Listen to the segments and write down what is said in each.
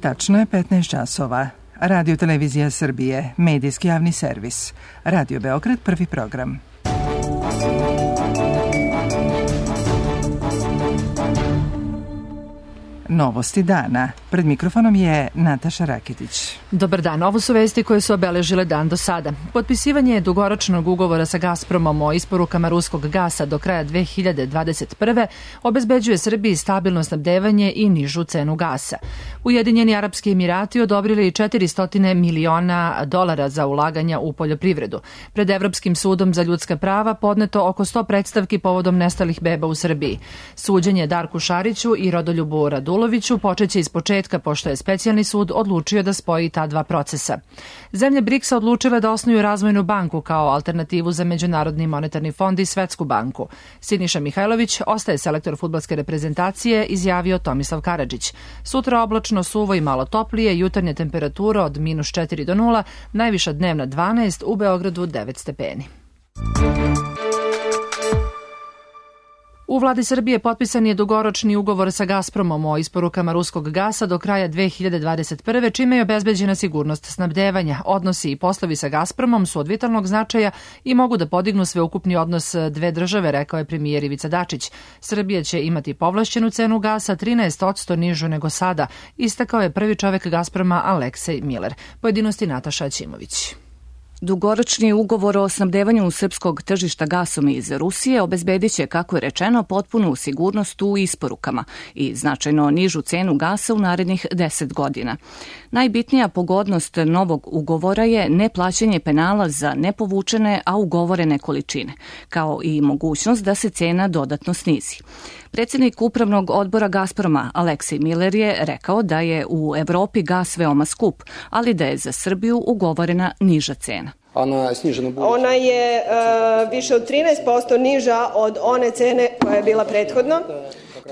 Tačno je 15 časova. Radio Televizija Srbije, medijski javni servis. Radio Beograd, prvi program. Novosti dana. Pred mikrofonom je Nataša Rakitić. Dobar dan. Ovo su vesti koje su obeležile dan do sada. Potpisivanje dugoročnog ugovora sa Gazpromom o isporukama ruskog gasa do kraja 2021. obezbeđuje Srbiji stabilno snabdevanje i nižu cenu gasa. Ujedinjeni Arapski Emirati odobrili $400 miliona za ulaganja u poljoprivredu. Pred Evropskim sudom za ljudska prava podneto oko 100 predstavki povodom nestalih beba u Srbiji. Suđenje Darku Šariću i Rodoljubu Raduloviću počeće iz početka, pošto je specijalni sud odlučio da spoji ta dva procesa. Zemlje BRICS-a odlučile da osnuju razvojnu banku kao alternativu za Međunarodni monetarni fond i Svetsku banku. Siniša Mihajlović ostaje selektor fudbalske reprezentacije, izjavio Tomislav Karadžić. Sutra oblačno, suvo i malo toplije, jutarnja temperatura od -4 do 0, najviša dnevna 12, u Beogradu 9 stepeni. U vladi Srbije potpisan je dugoročni ugovor sa Gazpromom o isporukama ruskog gasa do kraja 2021. čime je obezbeđena sigurnost snabdevanja. Odnosi i poslovi sa Gazpromom su od vitalnog značaja i mogu da podignu sveukupni odnos dve države, rekao je premijer Ivica Dačić. Srbija će imati povlašćenu cenu gasa 13% nižu nego sada, istakao je prvi čovek Gazproma Aleksej Miler. Pojedinosti Nataša Aćimović. Dugoročni ugovor o snabdevanju srpskog tržišta gasom iz Rusije obezbedit će, kako je rečeno, potpunu sigurnost u isporukama i značajno nižu cenu gasa u narednih 10 godina. Najbitnija pogodnost novog ugovora je neplaćanje penala za nepovučene, a ugovorene količine, kao i mogućnost da se cena dodatno snizi. Predsjednik upravnog odbora Gazproma Aleksej Miler je rekao da je u Evropi gas veoma skup, ali da je za Srbiju ugovorena niža cena. Ona je više od 13% niža od one cene koja je bila prethodno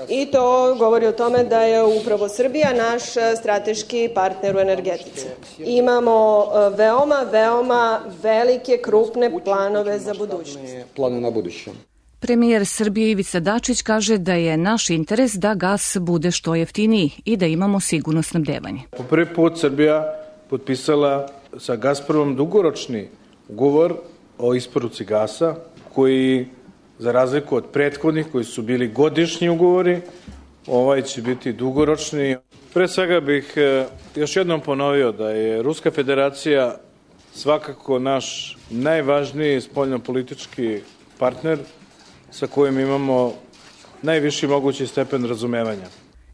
i to govori o tome da je upravo Srbija naš strateški partner u energetici. Imamo veoma velike, krupne planove za budućnost. Premijer Srbije Ivica Dačić kaže da je naš interes da gas bude što jeftiniji i da imamo sigurno snabdevanje. Po prvi put Srbija potpisala sa Gazpromom dugoročni ugovor o isporuci gasa, koji, za razliku od prethodnih koji su bili godišnji ugovori, ovaj će biti dugoročni. Pre svega bih još jednom ponovio da je Ruska federacija svakako naš najvažniji spoljnopolitički partner sa kojim imamo najviši mogući stepen razumevanja.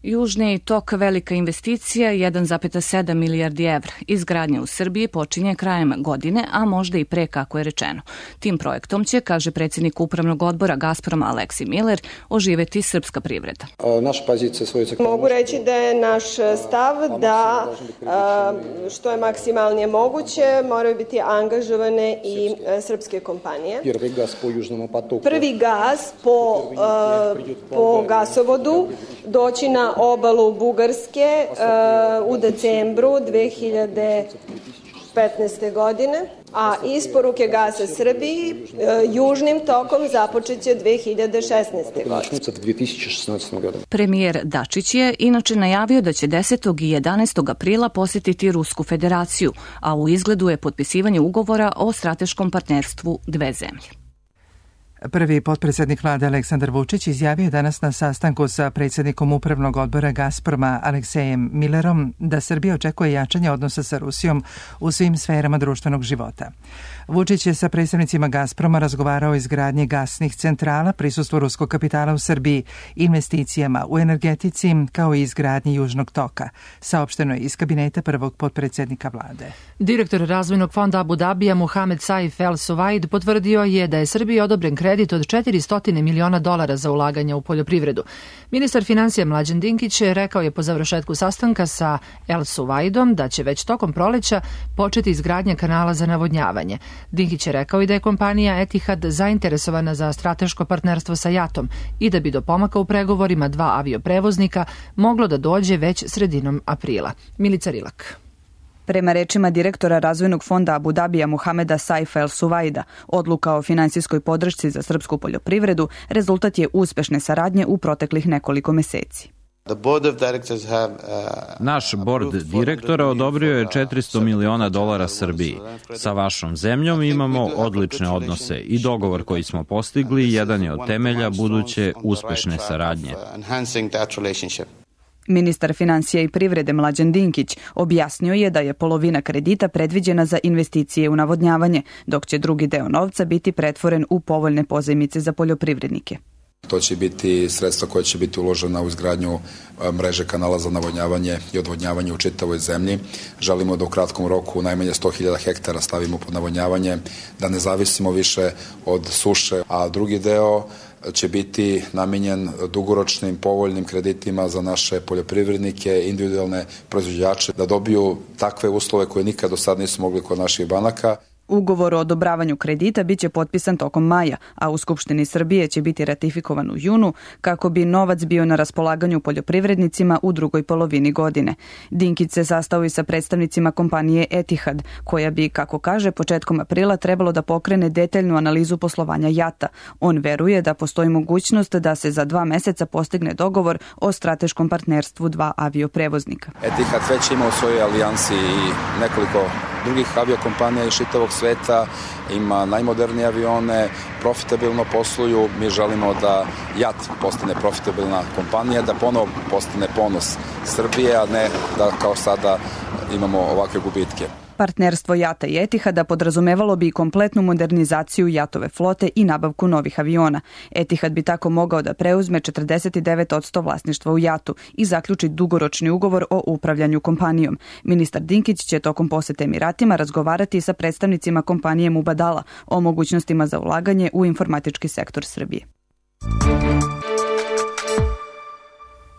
Južni tok, velika investicija, 1,7 milijardi evra. Izgradnja u Srbiji počinje krajem godine, a možda i pre, kako je rečeno. Tim projektom će, kaže predsjednik upravnog odbora Gazproma Aleksej Miler, oživeti srpska privreda. Mogu reći da je naš stav da što je maksimalnije moguće moraju biti angažovane i srpske kompanije. Prvi gas po gasovodu doći na obalu Bugarske u decembru 2015. godine, a isporuke gasa Srbiji južnim tokom započeće 2016. godine. Premijer Dačić je inače najavio da će 10. i 11. aprila posjetiti Rusku federaciju, a u izgledu je potpisivanje ugovora o strateškom partnerstvu dve zemlje. Prvi potpredsjednik vlade Aleksandar Vučić izjavio danas na sastanku sa predsjednikom upravnog odbora Gazproma Aleksejem Milerom da Srbija očekuje jačanje odnosa sa Rusijom u svim sferama društvenog života. Vučić je sa predstavnicima Gazproma razgovarao o izgradnji gasnih centrala, prisustvu ruskog kapitala u Srbiji, investicijama u energetici, kao i izgradnji Južnog toka, saopšteno je iz kabineta prvog potpredsjednika vlade. Direktor razvojnog fonda Abu Dabija Mohamed Saif El Suvaid potvrdio je da je Srbiji odobren kredit od $400 miliona za ulaganja u poljoprivredu. Ministar financija Mlađan Dinkić rekao je po završetku sastanka sa El Suvaidom da će već tokom proleća početi izgradnja kanala za navodnjavanje. Dinkić je rekao i da je kompanija Etihad zainteresovana za strateško partnerstvo sa JAT-om i da bi do pomaka u pregovorima dva avioprevoznika moglo da dođe već sredinom aprila. Milica Rilak. Prema rečima direktora razvojnog fonda Abu Dabija Mohameda Saifa El Suvaida, odluka o finansijskoj podršci za srpsku poljoprivredu rezultat je uspešne saradnje u proteklih nekoliko meseci. Naš bord direktora odobrio je $400 miliona Srbiji. Sa vašom zemljom imamo odlične odnose i dogovor koji smo postigli jedan je od temelja buduće uspešne saradnje. Ministar financija i privrede Mlađan Dinkić objasnio je da je polovina kredita predviđena za investicije u navodnjavanje, dok će drugi deo novca biti pretvoren u povoljne pozajmice za poljoprivrednike. To će biti sredstva koja će biti uložena u izgradnju mreže kanala za navodnjavanje i odvodnjavanje u čitavoj zemlji. Želimo da u kratkom roku najmanje 100.000 hektara stavimo pod navodnjavanje, da ne zavisimo više od suše, a drugi deo će biti namenjen dugoročnim povoljnim kreditima za naše poljoprivrednike, individualne proizvođače, da dobiju takve uslove koje nikad do sad nisu mogli kod naših banaka. Ugovor o odobravanju kredita biće potpisan tokom maja, a u Skupštini Srbije će biti ratifikovan u junu kako bi novac bio na raspolaganju poljoprivrednicima u drugoj polovini godine. Dinkić se sastao i sa predstavnicima kompanije Etihad, koja bi, kako kaže, početkom aprila trebalo da pokrene detaljnu analizu poslovanja JAT-a. On veruje da postoji mogućnost da se za 2 meseca postigne dogovor o strateškom partnerstvu 2 avioprevoznika. Etihad već ima u svojoj alijansi i nekoliko drugih aviokompanija iz čitavog sveta, ima najmodernije avione, profitabilno posluju. Mi želimo da JAT postane profitabilna kompanija, da ponovo postane ponos Srbije, a ne da kao sada imamo ovakve gubitke. Partnerstvo JAT-a i Etihada podrazumevalo bi kompletnu modernizaciju JAT-ove flote i nabavku novih aviona. Etihad bi tako mogao da preuzme 49% vlasništva u JAT-u i zaključi dugoročni ugovor o upravljanju kompanijom. Ministar Dinkić će tokom posete Emiratima razgovarati sa predstavnicima kompanije Mubadala o mogućnostima za ulaganje u informatički sektor Srbije.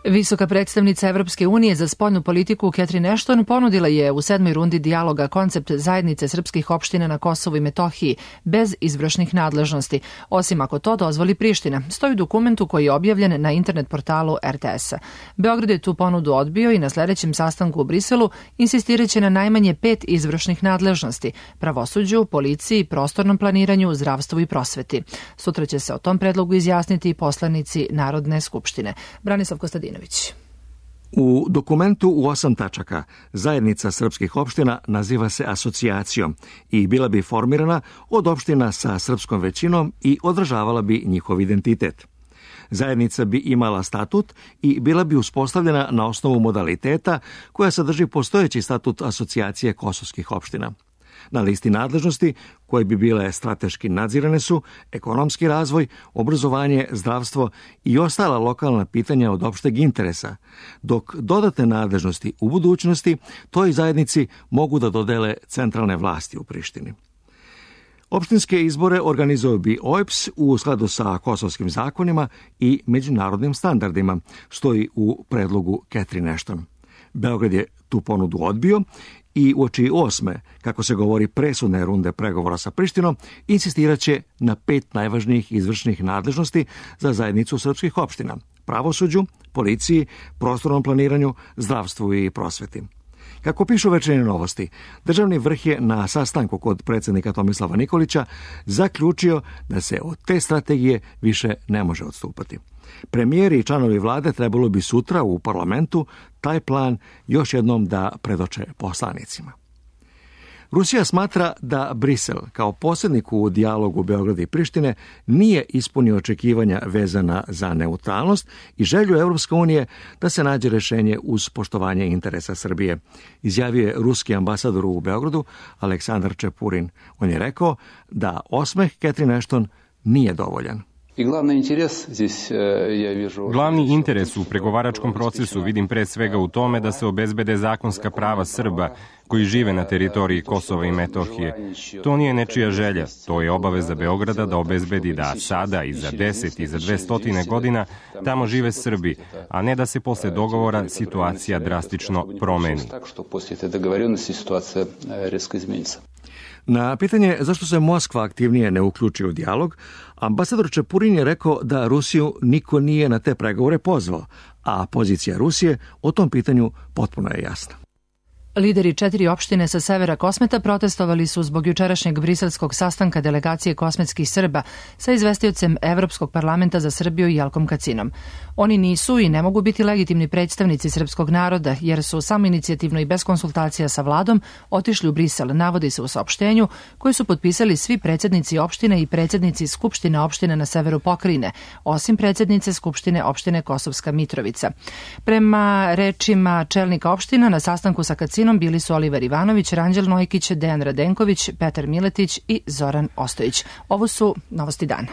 Visoka predstavnica Evropske unije za spoljnu politiku Catherine Ashton ponudila je u 7. rundi dijaloga koncept zajednice srpskih opština na Kosovu i Metohiji bez izvršnih nadležnosti, osim ako to dozvoli Priština, stoji u dokumentu koji je objavljen na internet portalu RTS-a. Beograd je tu ponudu odbio i na sledećem sastanku u Briselu insistiraće na najmanje 5 izvršnih nadležnosti: pravosuđu, policiji, prostornom planiranju, zdravstvu i prosveti. Sutra će se o tom predlogu izjasniti i poslanici Narodne skupštine. Branislav Kostadinović. U dokumentu u 8 tačaka zajednica srpskih opština naziva se asocijacijom i bila bi formirana od opština sa srpskom većinom i održavala bi njihov identitet. Zajednica bi imala statut i bila bi uspostavljena na osnovu modaliteta koja sadrži postojeći statut asocijacije kosovskih opština. Na listi nadležnosti, koje bi bile strateški nadzirane, su ekonomski razvoj, obrazovanje, zdravstvo i ostala lokalna pitanja od opšteg interesa, dok dodatne nadležnosti u budućnosti toj zajednici mogu da dodele centralne vlasti u Prištini. Opštinske izbore organizovao bi OEBS u skladu sa kosovskim zakonima i međunarodnim standardima, stoji u predlogu Catherine Ashton. Beograd je tu ponudu odbio i uoči 8. kako se govori presudne runde pregovora sa Prištinom, insistiraće na 5 najvažnijih izvršnih nadležnosti za zajednicu srpskih opština: pravosuđu, policiji, prostornom planiranju, zdravstvu i prosveti. Kako pišu Večernje novosti, državni vrh je na sastanku kod predsjednika Tomislava Nikolića zaključio da se od te strategije više ne može odstupati. Premijeri i članovi vlade trebalo bi sutra u parlamentu taj plan još jednom da predoče poslanicima. Rusija smatra da Brisel, kao posrednik u dijalogu Beograda i Prištine, nije ispunio očekivanja vezana za neutralnost i želju Evropske unije da se nađe rešenje uz poštovanje interesa Srbije, izjavio je ruski ambasador u Beogradu Aleksandar Čepurin. On je rekao da osmeh Catherine Ashton nije dovoljan. Glavni interes u pregovaračkom procesu vidim pre svega u tome da se obezbede zakonska prava Srba koji žive na teritoriji Kosova i Metohije. To nije nečija želja, to je obaveza Beograda da obezbedi da sada i za 10 i za 200 godina tamo žive Srbi, a ne da se posle dogovora situacija drastično promeni. Na pitanje zašto se Moskva aktivnije ne uključi u dijalog, ambasador Čepurin je rekao da Rusiju niko nije na te pregovore pozvao, a pozicija Rusije o tom pitanju potpuno je jasna. Lideri 4 opštine sa severa Kosmeta protestovali su zbog jučerašnjeg briselskog sastanka delegacije kosmetskih Srba sa izvestiocem Evropskog parlamenta za Srbiju Jelkom Kacinom. Oni nisu i ne mogu biti legitimni predstavnici srpskog naroda jer su samoinicijativno i bez konsultacija sa vladom otišli u Brisel, navodi se u saopštenju koji su potpisali svi predsednici opštine i predsednici Skupštine opštine na severu pokrajine, osim predsednice Skupštine opštine Kosovska Mitrovica. Prema rečima čelnika opština na sastanku sa Kacinom bili su Oliver Ivanović, Ranđel Nojkić, Dejan Radenković, Petar Miletić i Zoran Ostojić. Ovo su novosti dana.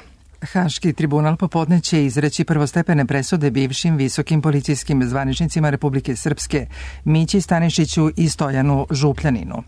Haški tribunal popodne će izreći prvostepene presude bivšim visokim policijskim zvaničnicima Republike Srpske Mići Stanišiću i Stojanu Župljaninu.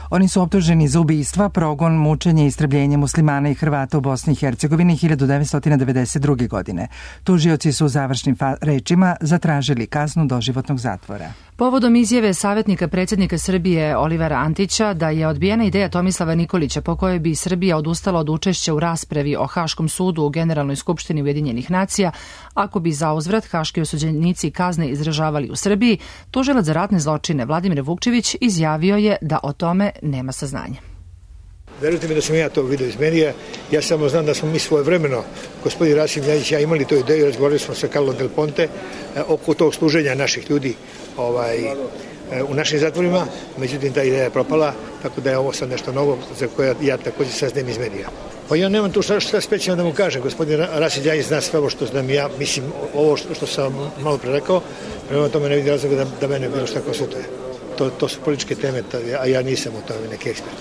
Oni su optuženi za ubistva, progon, mučenje i istrebljenje muslimana i Hrvata u Bosni i Hercegovini 1992. godine. Tužioci su u završnim rečima zatražili kaznu doživotnog zatvora. Povodom izjave savjetnika predsjednika Srbije Olivera Antića da je odbijena ideja Tomislava Nikolića po kojoj bi Srbija odustala od učešća u raspravi o Haškom sudu u Generalnoj skupštini Ujedinjenih nacija, ako bi zauzvrat haški osuđenici kazne izražavali u Srbiji, tužilac za ratne zločine Vladimir Vukčević izjavio je da o tome nema saznanja. Verujte mi da sam ja to vidio iz medija, ja samo znam da smo mi svojevremeno, gospodin Rasim Ljajić i ja imali tu ideju, razgovarali smo sa Carlo Del Ponte oko tog služenja naših ljudi u našim zatvorima, međutim ta ideja je propala, tako da je ovo sad nešto novo za koje ja također saznajem iz medija. Pa ja nemam tu šta specijalno da mu kažem, gospodin Rasim Ljajić zna sve ovo što znam ja, mislim ovo što sam malo pre rekao, prema tome ne vidim razloga da mene bilo šta konsultuje. To su političke teme, a ja nisam u tome neki ekspert.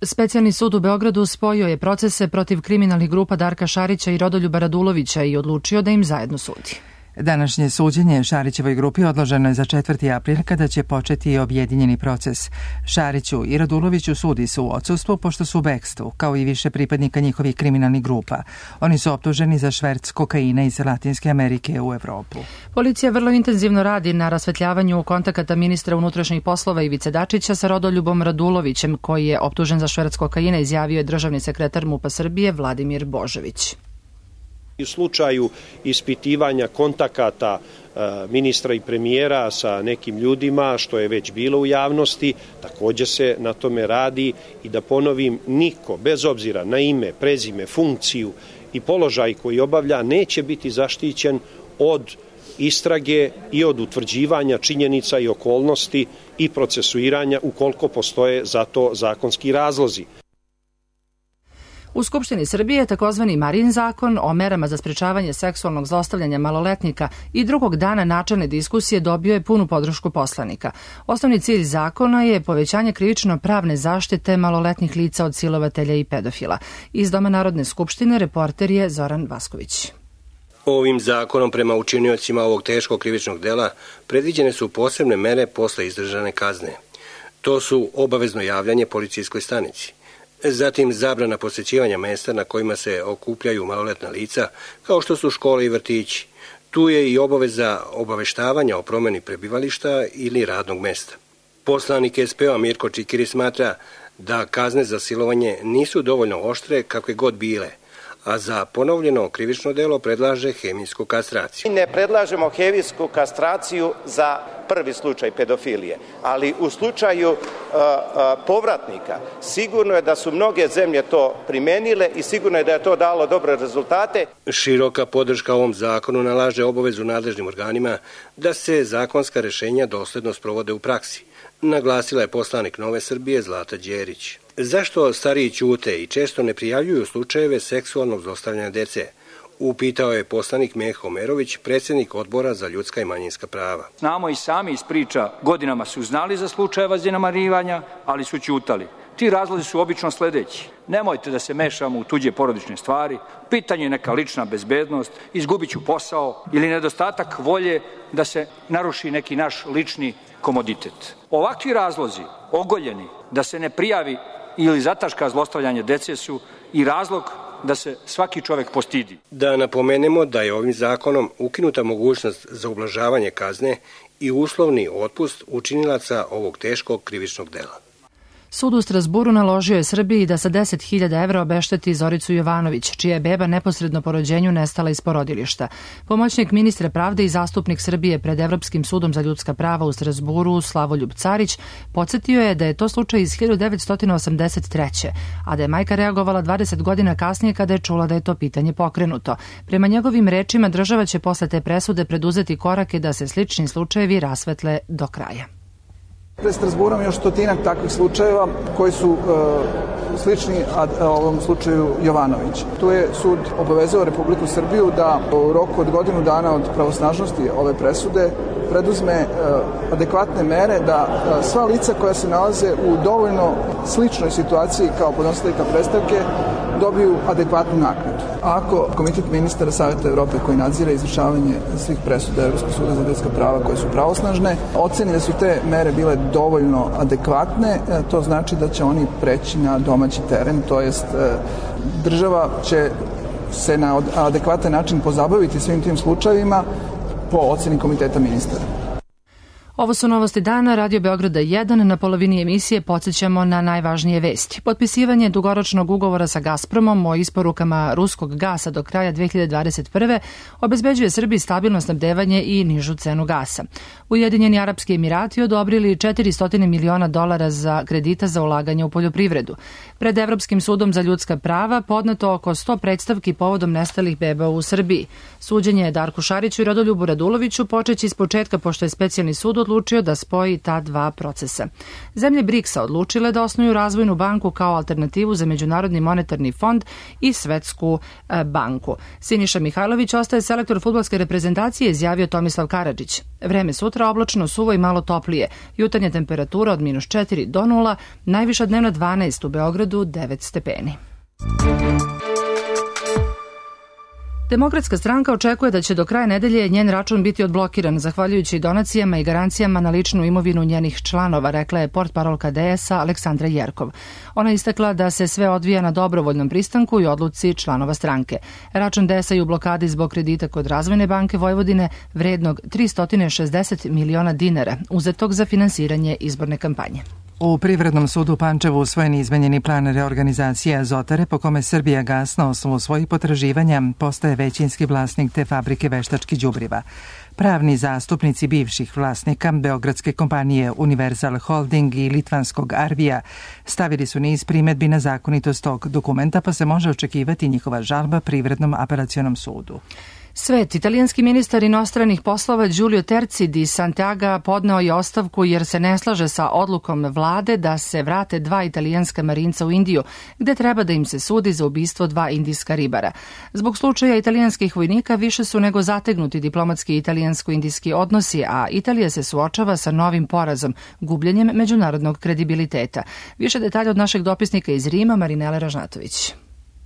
Specijalni sud u Beogradu spojio je procese protiv kriminalnih grupa Darka Šarića i Rodoljuba Radulovića i odlučio da im zajedno sudi. Današnje suđenje Šarićevoj grupi odloženo je za 4. april kada će početi objedinjeni proces. Šariću i Raduloviću sudi se u odsustvu pošto su u bekstvu, kao i više pripadnika njihovih kriminalnih grupa. Oni su optuženi za šverc kokaina iz Latinske Amerike u Evropu. Policija vrlo intenzivno radi na rasvetljavanju kontakata ministra unutrašnjih poslova Ivice Dačića sa Rodoljubom Radulovićem, koji je optužen za šverc kokaina, izjavio je državni sekretar MUP-a Srbije Vladimir Božović. U slučaju ispitivanja kontakata ministra i premijera sa nekim ljudima, što je već bilo u javnosti, također se na tome radi i da ponovim, niko, bez obzira na ime, prezime, funkciju i položaj koji obavlja, neće biti zaštićen od istrage i od utvrđivanja činjenica i okolnosti i procesuiranja ukoliko postoje za to zakonski razlozi. U Skupštini Srbije takozvani Marin zakon o merama za sprečavanje seksualnog zlostavljanja maloletnika i drugog dana načelne diskusije dobio je punu podršku poslanika. Osnovni cilj zakona je povećanje krivično-pravne zaštite maloletnih lica od silovatelja i pedofila. Iz Doma Narodne skupštine reporter je Zoran Vasković. Ovim zakonom prema učiniocima ovog teškog krivičnog dela predviđene su posebne mere posle izdržane kazne. To su obavezno javljanje policijskoj stanici, zatim zabrana posjećivanja mesta na kojima se okupljaju maloletna lica, kao što su škole i vrtići. Tu je i obaveza obaveštavanja o promjeni prebivališta ili radnog mesta. Poslanik SPO Mirko Čikiri smatra da kazne za silovanje nisu dovoljno oštre kakve god bile, a za ponovljeno krivično delo predlaže hemijsku kastraciju. Ne predlažemo hemijsku kastraciju za prvi slučaj pedofilije, ali u slučaju povratnika sigurno je da su mnoge zemlje to primenile i sigurno je da je to dalo dobre rezultate. Široka podrška ovom zakonu nalaže obavezu nadležnim organima da se zakonska rešenja dosledno sprovode u praksi, naglasila je poslanik Nove Srbije Zlata Đerić. Zašto stariji ćute i često ne prijavljuju slučajeve seksualnog zlostavljanja dece? Upitao je poslanik Meho Merović, predsjednik Odbora za ljudska i manjinska prava. Znamo i sami iz priča, godinama su znali za slučajeva zanemarivanja, ali su ćutali. Ti razlozi su obično sledeći. Nemojte da se mešamo u tuđe porodične stvari, pitanje je neka lična bezbednost, izgubit ću posao ili nedostatak volje da se naruši neki naš lični komoditet. Ovakvi razlozi, ogoljeni, da se ne prijavi ili zataška zlostavljanje dece su i razlog da se svaki čovjek postidi. Da napomenemo da je ovim zakonom ukinuta mogućnost za ublažavanje kazne i uslovni otpust učinilaca ovog teškog krivičnog dela. Sud u Strasburu naložio je Srbiji da sa 10.000 evra obešteti Zoricu Jovanović, čija je beba neposredno po rođenju nestala iz porodilišta. Pomoćnik ministra pravde i zastupnik Srbije pred Evropskim sudom za ljudska prava u Strasburu, Slavoljub Carić, podsjetio je da je to slučaj iz 1983. a da je majka reagovala 20 godina kasnije kada je čula da je to pitanje pokrenuto. Prema njegovim rečima, država će posle te presude preduzeti korake da se slični slučajevi rasvetle do kraja. Pred Strasburom još stotinak takvih slučajeva koji su slični ovom slučaju Jovanović. Tu je sud obavezao Republiku Srbiju da u roku od godinu dana od pravosnažnosti ove presude preduzme adekvatne mere da sva lica koja se nalaze u dovoljno sličnoj situaciji kao podnositeljka predstavke dobiju adekvatnu naknadu. Ako Komitet ministara Saveta Evrope koji nadzire izvršavanje svih presuda Evropskog suda za ljudska prava koje su pravosnažne, oceni da su te mere bile dovoljno adekvatne, to znači da će oni preći na domaći teren, to jest država će se na adekvatan način pozabaviti svim tim slučajevima po oceni Komiteta ministara. Ovo su novosti dana, Radio Beograda 1. Na polovini emisije podsjećamo na najvažnije vesti. Potpisivanje dugoročnog ugovora sa Gazpromom o isporukama ruskog gasa do kraja 2021. obezbeđuje Srbiji stabilno snabdevanje i nižu cenu gasa. Ujedinjeni Arapski Emirati odobrili $400 miliona za kredita za ulaganje u poljoprivredu. Pred Evropskim sudom za ljudska prava podneto oko 100 predstavki povodom nestalih beba u Srbiji. Suđenje Darku Šariću i Rodoljubu Raduloviću počeći iz početka, pošto je specijalni sud odlučio da spoji ta dva procesa. Zemlje BRICS-a odlučile da osnuju razvojnu banku kao alternativu za Međunarodni monetarni fond i Svetsku banku. Siniša Mihajlović ostaje selektor fudbalske reprezentacije, izjavio Tomislav Karadžić. Vreme sutra oblačno, suvo i malo toplije. Jutarnja temperatura od -4 do 0, najviša dnevna 12, u Beogradu 9 stepeni. Demokratska stranka očekuje da će do kraja nedelje njen račun biti odblokiran zahvaljujući donacijama i garancijama na ličnu imovinu njenih članova, rekla je portparolka DS-a Aleksandra Jerkov. Ona istakla da se sve odvija na dobrovoljnom pristanku i odluci članova stranke. Račun DS-a je u blokadi zbog kredita kod Razvojne banke Vojvodine vrednog 360 miliona dinara, uzetog za finansiranje izborne kampanje. U Privrednom sudu u Pančevu usvojen je izmenjeni plan reorganizacije Azotare po kome Srbijagas na osnovu svojih potraživanja postaje većinski vlasnik te fabrike veštačkih đubriva. Pravni zastupnici bivših vlasnika beogradske kompanije Universal Holding i litvanskog Arvija stavili su niz primedbi na zakonitost tog dokumenta, pa se može očekivati njihova žalba Privrednom apelacionom sudu. Svet, italijanski ministar inostranih poslova Giulio Terzi di Santiago podneo je ostavku jer se ne slaže sa odlukom vlade da se vrate 2 italijanska marinca u Indiju, gde treba da im se sudi za ubistvo 2 indijska ribara. Zbog slučaja italijanskih vojnika više su nego zategnuti diplomatski italijansko-indijski odnosi, a Italija se suočava sa novim porazom, gubljenjem međunarodnog kredibiliteta. Više detalja od našeg dopisnika iz Rima, Marinele Ražnatović.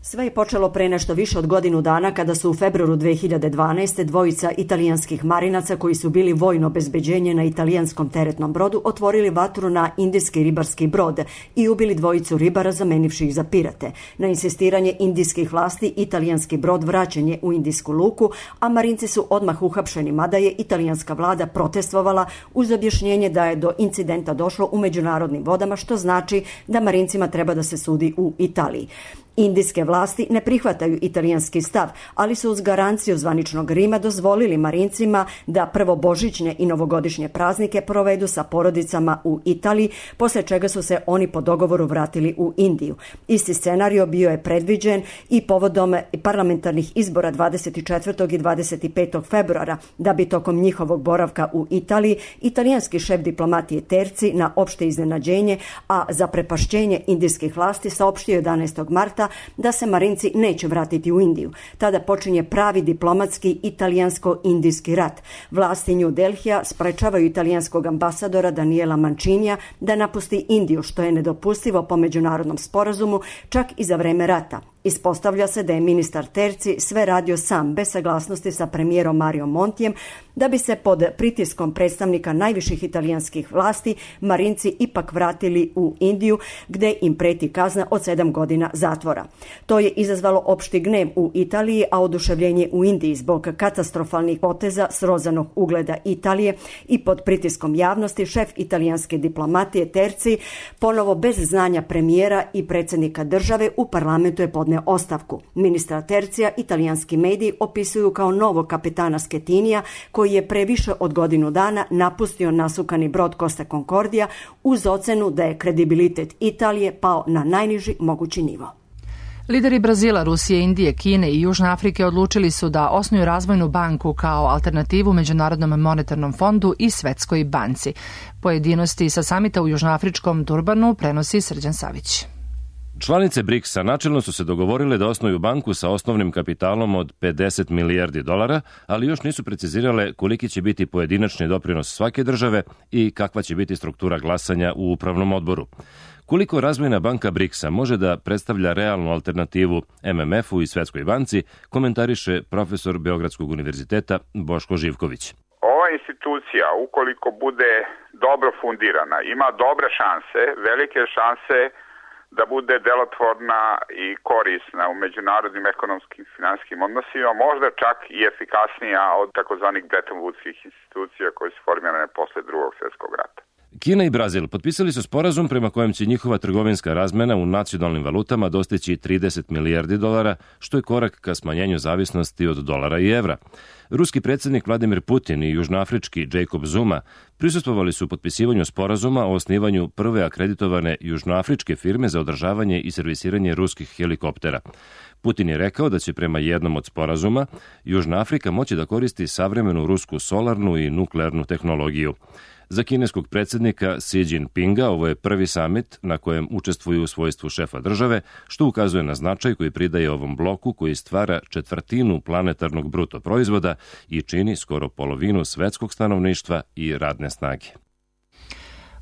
Sve je počelo pre nešto više od godinu dana kada su u februaru 2012. dvojica italijanskih marinaca koji su bili vojno obezbeđenje na italijanskom teretnom brodu otvorili vatru na indijski ribarski brod i ubili dvojicu ribara zamenivši ih za pirate. Na insistiranje indijskih vlasti italijanski brod vraćen je u indijsku luku, a marinci su odmah uhapšeni, mada je italijanska vlada protestvovala uz objašnjenje da je do incidenta došlo u međunarodnim vodama, što znači da marincima treba da se sudi u Italiji. Indijske vlasti ne prihvataju italijanski stav, ali su uz garanciju zvaničnog Rima dozvolili marincima da prvo božićne i novogodišnje praznike provedu sa porodicama u Italiji, posle čega su se oni po dogovoru vratili u Indiju. Isti scenario bio je predviđen i povodom parlamentarnih izbora 24. i 25. februara, da bi tokom njihovog boravka u Italiji italijanski šef diplomatije Terzi na opšte iznenađenje, a za prepašćenje indijskih vlasti saopštio 11. marta da se marinci neće vratiti u Indiju. Tada počinje pravi diplomatski italijansko-indijski rat. Vlasti New Delhija sprečavaju italijanskog ambasadora Daniela Mancinija da napusti Indiju, što je nedopustivo po međunarodnom sporazumu čak i za vreme rata. Ispostavlja se da je ministar Terci sve radio sam, bez saglasnosti sa premijerom Mario Montijem, da bi se pod pritiskom predstavnika najviših italijanskih vlasti Marinci ipak vratili u Indiju, gde im preti kazna od 7 godina zatvora. To je izazvalo opšti gnev u Italiji, a oduševljenje u Indiji zbog katastrofalnih poteza srozanog ugleda Italije i pod pritiskom javnosti šef italijanske diplomatije Terci, ponovo bez znanja premijera i predsjednika države, u parlamentu je podneo ostavku. Ministra Tercija italijanski mediji opisuju kao novog kapetana Schetinija, koji je pre više od godinu dana napustio nasukani brod Costa Concordia uz ocenu da je kredibilitet Italije pao na najniži mogući nivo. Lideri Brazila, Rusije, Indije, Kine i Južne Afrike odlučili su da osnuju razvojnu banku kao alternativu Međunarodnom monetarnom fondu i Svetskoj banci. Pojedinosti sa samita u Južnoafričkom Durbanu prenosi Srđan Savić. Članice BRICS-a načelno su se dogovorile da osnuju banku sa osnovnim kapitalom od $50 milijardi, ali još nisu precizirale koliki će biti pojedinačni doprinos svake države i kakva će biti struktura glasanja u upravnom odboru. Koliko razvojna banka BRICS-a može da predstavlja realnu alternativu MMF-u i Svetskoj banci, komentariše profesor Beogradskog univerziteta Boško Živković. Ova institucija, ukoliko bude dobro fundirana, ima dobre šanse, velike šanse da bude delotvorna i korisna u međunarodnim ekonomskim i finansijskim odnosima, možda čak i efikasnija od takozvanih Bretton Woodskih institucija koje su formirane posle Drugog svjetskog rata. Kina i Brazil potpisali su sporazum prema kojem će njihova trgovinska razmena u nacionalnim valutama dostići $30 milijardi, što je korak ka smanjenju zavisnosti od dolara i evra. Ruski predsjednik Vladimir Putin i južnoafrički Jacob Zuma prisustvovali su potpisivanju sporazuma o osnivanju prve akreditovane južnoafričke firme za održavanje i servisiranje ruskih helikoptera. Putin je rekao da će prema jednom od sporazuma Južna Afrika moći da koristi savremenu rusku solarnu i nuklearnu tehnologiju. Za kineskog predsjednika Xi Jinpinga ovo je prvi samit na kojem učestvuju u svojstvu šefa države, što ukazuje na značaj koji pridaje ovom bloku koji stvara 1/4 planetarnog bruto proizvoda i čini skoro polovinu svetskog stanovništva i radne snage.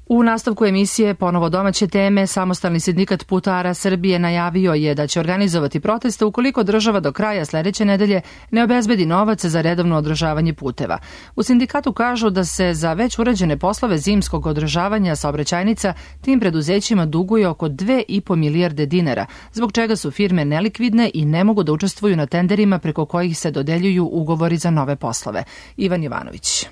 U nastavku emisije ponovo domaće teme, Samostalni sindikat putara Srbije najavio je da će organizovati proteste ukoliko država do kraja sledeće nedelje ne obezbedi novac za redovno održavanje puteva. U sindikatu kažu da se za već urađene poslove zimskog održavanja saobraćajnica tim preduzećima duguje oko 2,5 milijarde dinara, zbog čega su firme nelikvidne i ne mogu da učestvuju na tenderima preko kojih se dodeljuju ugovori za nove poslove. Ivan Jovanović.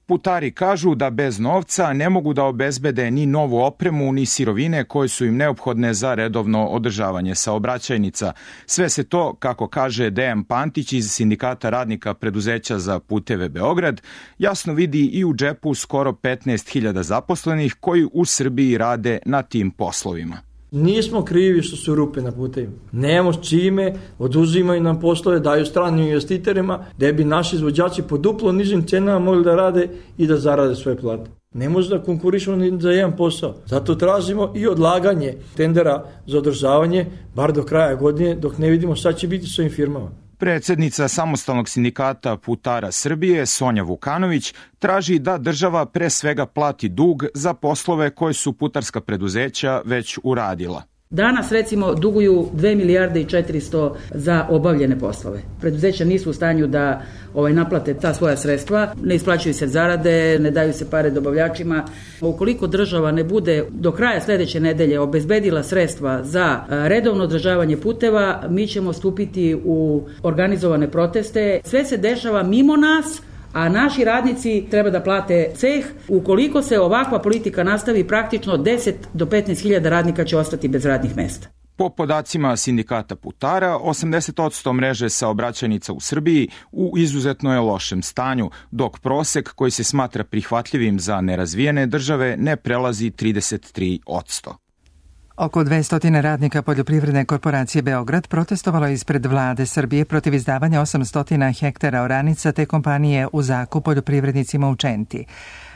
Putari kažu da bez novca ne mogu da obezbede ni novu opremu, ni sirovine koje su im neophodne za redovno održavanje saobraćajnica. Sve se to, kako kaže Dejan Pantić iz Sindikata radnika preduzeća za puteve Beograd, jasno vidi i u džepu skoro 15.000 zaposlenih koji u Srbiji rade na tim poslovima. Nismo krivi što su rupe na putevima. Nemamo s čime, oduzimaju nam poslove, daju stranim investitorima, da bi naši izvođači po duplo nižim cenama mogli da rade i da zarade svoje plate. Ne može da konkurišemo ni za jedan posao. Zato tražimo i odlaganje tendera za održavanje, bar do kraja godine, dok ne vidimo šta će biti s ovim firmama. Predsjednica Samostalnog sindikata putara Srbije, Sonja Vukanović, traži da država pre svega plati dug za poslove koje su putarska preduzeća već uradila. Danas recimo duguju 2 milijarde i 400 za obavljene poslove. Preduzeća nisu u stanju da naplate ta svoja sredstva, ne isplaćuju se zarade, ne daju se pare dobavljačima. Ukoliko država ne bude do kraja sledeće nedelje obezbedila sredstva za redovno održavanje puteva, mi ćemo stupiti u organizovane proteste. Sve se dešava mimo nas, a naši radnici treba da plate ceh. Ukoliko se ovakva politika nastavi, praktično 10 do 15.000 radnika će ostati bez radnih mesta. Po podacima sindikata putara, 80% mreže saobraćajnica u Srbiji u izuzetno je lošem stanju, dok prosek koji se smatra prihvatljivim za nerazvijene države ne prelazi 33%. Oko 200 radnika Poljoprivredne korporacije Beograd protestovalo ispred vlade Srbije protiv izdavanja 800 hektara oranica te kompanije u zakup poljoprivrednicima u Čenti.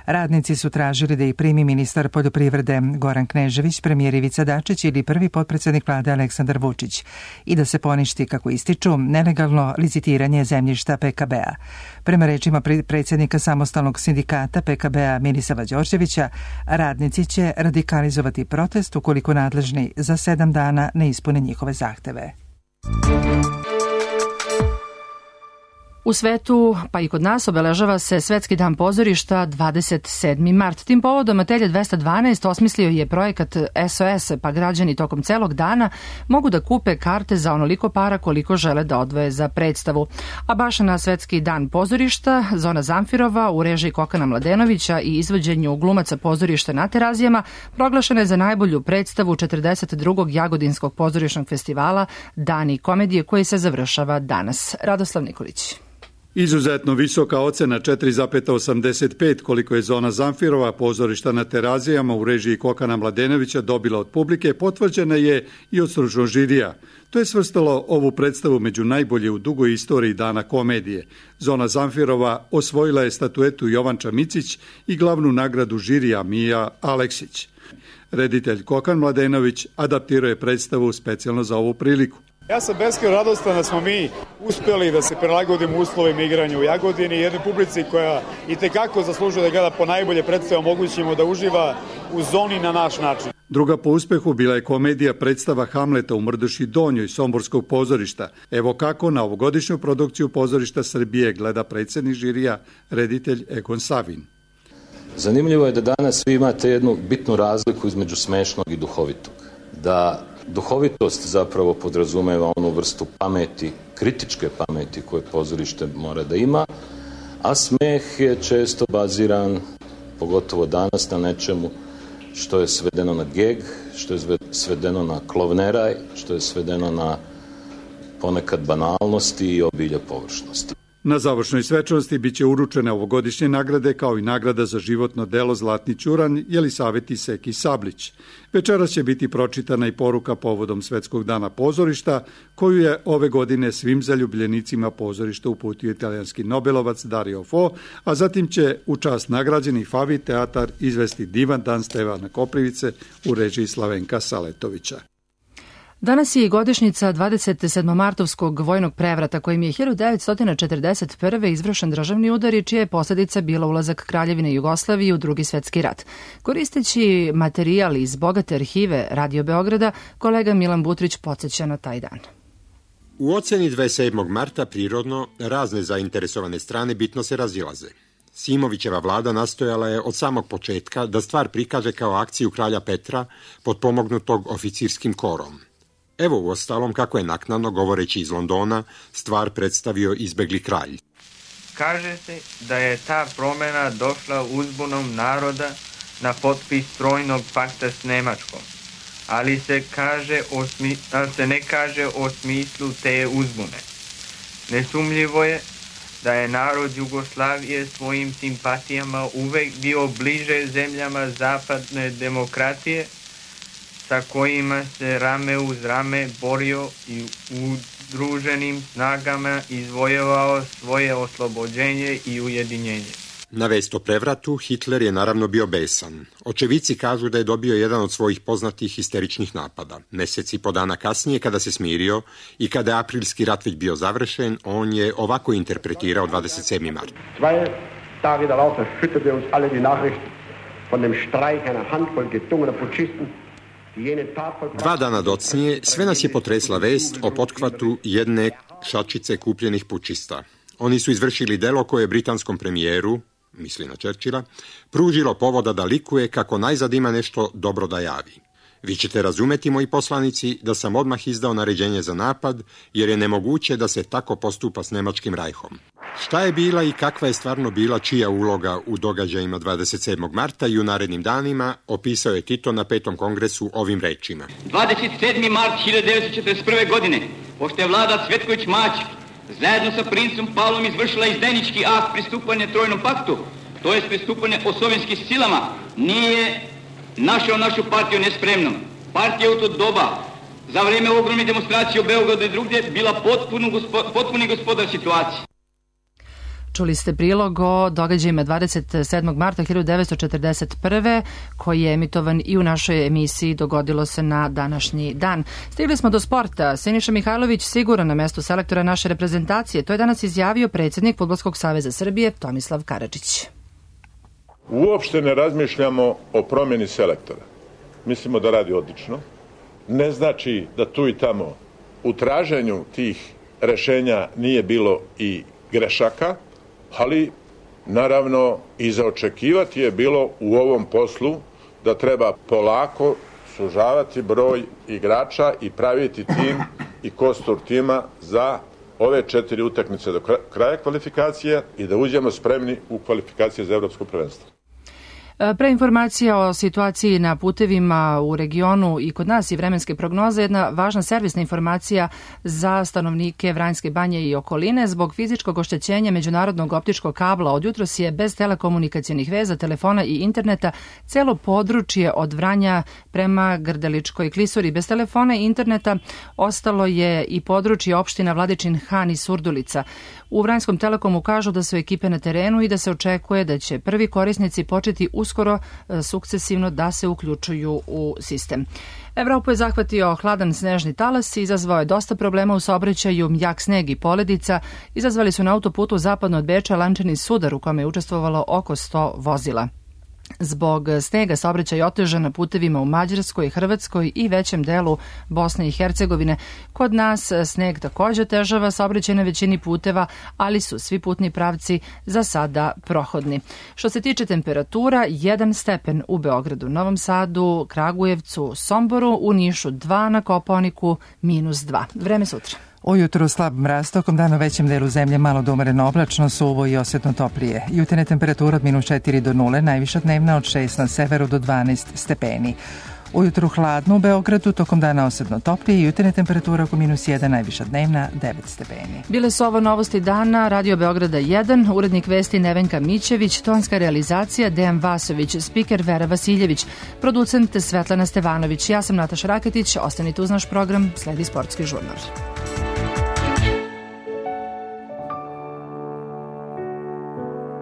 Radnici su tražili da ih primi ministar poljoprivrede Goran Knežević, premijer Ivica Dačić ili prvi potpredsjednik vlade Aleksandar Vučić i da se poništi, kako ističu, nelegalno licitiranje zemljišta PKB-a. Prema rečima predsjednika samostalnog sindikata PKB-a Mirisava Đorđevića, radnici će radikalizovati protest ukoliko nadležni za 7 dana ne ispune njihove zahteve. U svetu, pa i kod nas, obeležava se Svetski dan pozorišta 27. mart. Tim povodom Atelje 212 osmislio je projekat SOS, pa građani tokom celog dana mogu da kupe karte za onoliko para koliko žele da odvoje za predstavu. A baš na Svetski dan pozorišta, Zona Zamfirova u režiji Kokana Mladenovića i izvođenju glumaca pozorišta na Terazijama proglašena je za najbolju predstavu 42. Jagodinskog pozorišnog festivala Dani komedije, koji se završava danas. Radoslav Nikolić. Izuzetno visoka ocena 4,85 koliko je Zona Zamfirova pozorišta na Terazijama u režiji Kokana Mladenovića dobila od publike potvrđena je i od stručnog žirija. To je svrstalo ovu predstavu među najbolje u dugoj istoriji Dana komedije. Zona Zamfirova osvojila je statuetu Jovan Čamicić i glavnu nagradu žirija Mija Aleksić. Reditelj Kokan Mladenović adaptirao je predstavu specijalno za ovu priliku. Ja sam beskrajno radostan da smo mi uspjeli da se prilagodimo uslovima igranja u Jagodini, jednoj publici koja itekako zaslužuje da gleda po najbolje predstave, omogućimo da uživa u zoni na naš način. Druga po uspehu bila je komedija predstava Hamleta u Mrduši Donjoj Somborskog pozorišta. Evo kako na ovogodišnju produkciju pozorišta Srbije gleda predsjednik žirija, reditelj Egon Savin. Zanimljivo je da danas vi imate jednu bitnu razliku između smešnog i duhovitog. Da duhovitost zapravo podrazumeva onu vrstu pameti, kritičke pameti koje pozorište mora da ima, a smeh je često baziran, pogotovo danas, na nečemu što je svedeno na geg, što je svedeno na klovneraj, što je svedeno na ponekad banalnosti i obilje površnosti. Na završnoj svečanosti biće uručene ovogodišnje nagrade kao i nagrada za životno delo Zlatni ćuran Jelisaveti Seki Sablić. Večeras će biti pročitana i poruka povodom Svetskog dana pozorišta, koju je ove godine svim zaljubljenicima pozorišta uputio italijanski nobelovac Dario Fo, a zatim će u čast nagrađeni Favi teatar izvesti divan dan Stevana Koprivice u režiji Slavenka Saletovića. Danas je i godišnjica 27. martovskog vojnog prevrata kojim je 1941. izvršen državni udar i čija je posljedica bila ulazak Kraljevine Jugoslavije u Drugi svetski rat. Koristeći materijal iz bogate arhive Radio Beograda, kolega Milan Butrić podsjeća na taj dan. U oceni 27. marta prirodno razne zainteresovane strane bitno se razilaze. Simovićeva vlada nastojala je od samog početka da stvar prikaže kao akciju kralja Petra potpomognutog oficirskim korom. Evo u ostalom kako je naknadno, govoreći iz Londona, stvar predstavio izbegli kralj. Kaže se da je ta promjena došla uzbunom naroda na potpis trojnog pakta s Nemačkom, ali se ne kaže o smislu te uzbune. Nesumljivo je da je narod Jugoslavije svojim simpatijama uvek bio bliže zemljama zapadne demokratije, sa kojima se rame uz rame borio i udruženim snagama izvojevao svoje oslobođenje i ujedinjenje. Na vest o prevratu Hitler je naravno bio besan. Očevici kažu da je dobio jedan od svojih poznatih histeričnih napada. Mesec i po dana kasnije, kada se smirio i kada je aprilski rat već bio završen, on je ovako interpretirao 27. mart. 2 Tage darauf erschütterte uns alle die Nachricht von dem Streik einer Handvoll gedungener Putschisten. 2 dana docnije sve nas je potresla vest o pothvatu jedne šačice kupljenih pučista. Oni su izvršili delo koje je britanskom premijeru, misli na Churchilla, pružilo povoda da likuje kako najzad ima nešto dobro da javi. Vi ćete razumeti, moji poslanici, da sam odmah izdao naređenje za napad, jer je nemoguće da se tako postupa s Nemačkim rajhom. Šta je bila i kakva je stvarno bila čija uloga u događajima 27. marta i u narednim danima, opisao je Tito na 5. kongresu ovim rečima. 27. mart 1941. godine, pošto je vlada Cvetković Mać zajedno sa princem Pavlom izvršila izdajnički akt pristupanja Trojnom paktu, to je pristupanje osovenskim silama, nije našao našu partiju nespremnom. Partija u to doba, za vrijeme ogromne demonstracije u Beogradu i drugdje, bila potpuni gospodar situacije. Čuli ste prilog o događajima 27. marta 1941. koji je emitovan i u našoj emisiji Dogodilo se na današnji dan. Stigli smo do sporta. Siniša Mihajlović siguran na mestu selektora naše reprezentacije. To je danas izjavio predsjednik Fudbalskog saveza Srbije Tomislav Karadžić. Uopšte ne razmišljamo o promjeni selektora. Mislimo da radi odlično. Ne znači da tu i tamo u traženju tih rešenja nije bilo i grešaka, ali naravno i za očekivati je bilo u ovom poslu da treba polako sužavati broj igrača i praviti tim i kostur tima za ove 4 utakmice do kraja kvalifikacije i da uđemo spremni u kvalifikacije za evropsko prvenstvo. Pre informacija o situaciji na putevima u regionu i kod nas i vremenske prognoze, jedna važna servisna informacija za stanovnike Vranjske banje i okoline. Zbog fizičkog oštećenja međunarodnog optičkog kabla od jutros je bez telekomunikacionih veza, telefona i interneta celo područje od Vranja prema Grdeličkoj klisuri. Bez telefona i interneta ostalo je i područje opština Vladičin Han i Surdulica. U Vranjskom Telekomu kažu da su ekipe na terenu i da se očekuje da će prvi korisnici početi uskoro sukcesivno da se uključuju u sistem. Evropu je zahvatio hladan snežni talas i izazvao je dosta problema u saobraćaju. Jak sneg i poledica izazvali su na autoputu zapadno od Beča lančani sudar u kome je učestvovalo oko 100 vozila. Zbog snega saobraćaj je otežan na putevima u Mađarskoj, Hrvatskoj i većem delu Bosne i Hercegovine. Kod nas sneg također otežava saobraćaj na većini puteva, ali su svi putni pravci za sada prohodni. Što se tiče temperatura, 1 stepen u Beogradu, Novom Sadu, Kragujevcu, Somboru, u Nišu 2, na Kopaoniku -2. Vreme sutra. Ujutru slab mraz, tokom dana u većem delu zemlje malo do umereno oblačno, suvo i osjetno toplije. Jutarnja temperatura od -4 do 0, najviša dnevna od 6 na severu do 12 stepeni. Ujutru hladno u Beogradu, tokom dana osjetno toplije i jutarnja temperatura oko -1, najviša dnevna 9 stepeni. Bile su ovo novosti dana, Radio Beograda 1, urednik vesti Nevenka Mićević, tonska realizacija Dejan Vasović, spiker Vera Vasiljević, producent Svetlana Stevanović. Ja sam Nataša Raketić, ostanite uz naš program, sledi sportski žurnal.